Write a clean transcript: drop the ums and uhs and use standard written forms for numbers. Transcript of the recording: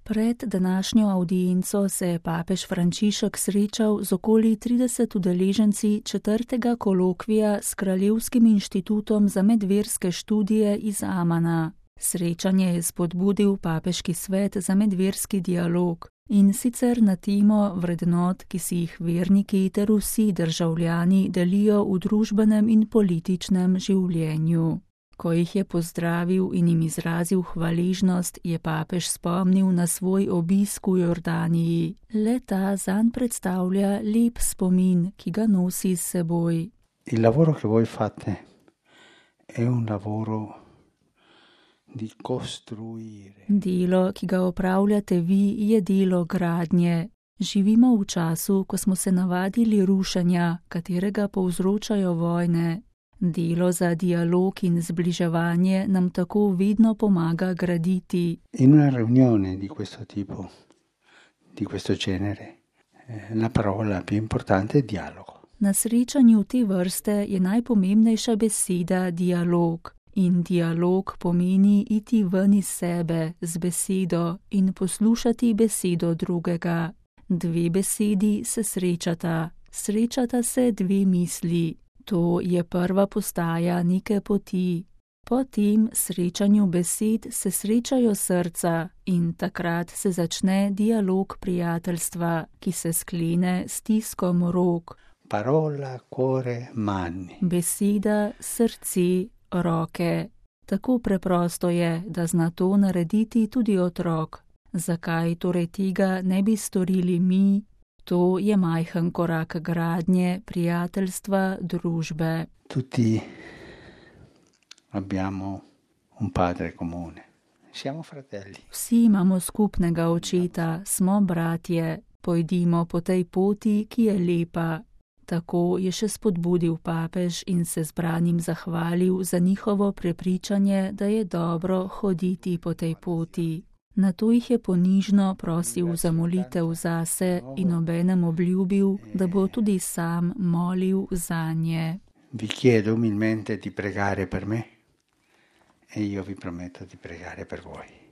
Pred današnjo avdienco se je papež Frančišek srečal z okoli 30 udeleženci 4. kolokvija s Kraljevskim inštitutom za medverske študije iz Amana. Srečanje je spodbudil Papeški svet za medverski dialog, in sicer na temo vrednot, ki si jih verniki ter vsi državljani delijo v družbenem in političnem življenju. Ko jih je pozdravil in jim izrazil hvaležnost, je papež spomnil na svoj obisk v Jordaniji. Le ta zanj predstavlja lep spomin, ki ga nosi s seboj. Il lavoro che voi fate è un lavoro di costruire. Delo, ki ga opravljate vi, je delo gradnje. Živimo v času, ko smo se navadili rušenja, katerega povzročajo vojne. Delo za dialog in zbliževanje nam tako vedno pomaga graditi. In una riunione di questo tipo, di questo genere, la parola più importante è dialogo. Na srečanju te vrste je najpomembnejša beseda dialog. In dialog pomeni iti ven iz sebe z besedo in poslušati besedo drugega. Dve besedi se srečata. Srečata se dve misli. To je prva postaja neke poti. Po tem srečanju besed se srečajo srca in takrat se začne dialog prijateljstva, ki se sklene s stiskom rok. Parola, cuore, mani. Beseda, srce, roke. Tako preprosto je, da zna to narediti tudi otrok. Zakaj torej tega ne bi storili mi? To je majhen korak gradnje, prijateljstva, družbe. Tutti abbiamo un padre comune. Siamo fratelli. Vsi imamo skupnega očeta, smo bratje. Pojdimo po tej poti, ki je lepa. Tako je še spodbudil papež in se zbranim zahvalil za njihovo prepričanje, da je dobro hoditi po tej poti. Nato jih je ponižno prosil za molitev zase in obenem obljubil, da bo tudi sam molil zanje. Vi chiedo umilmente di pregare per me e io vi prometto di pregare per voi.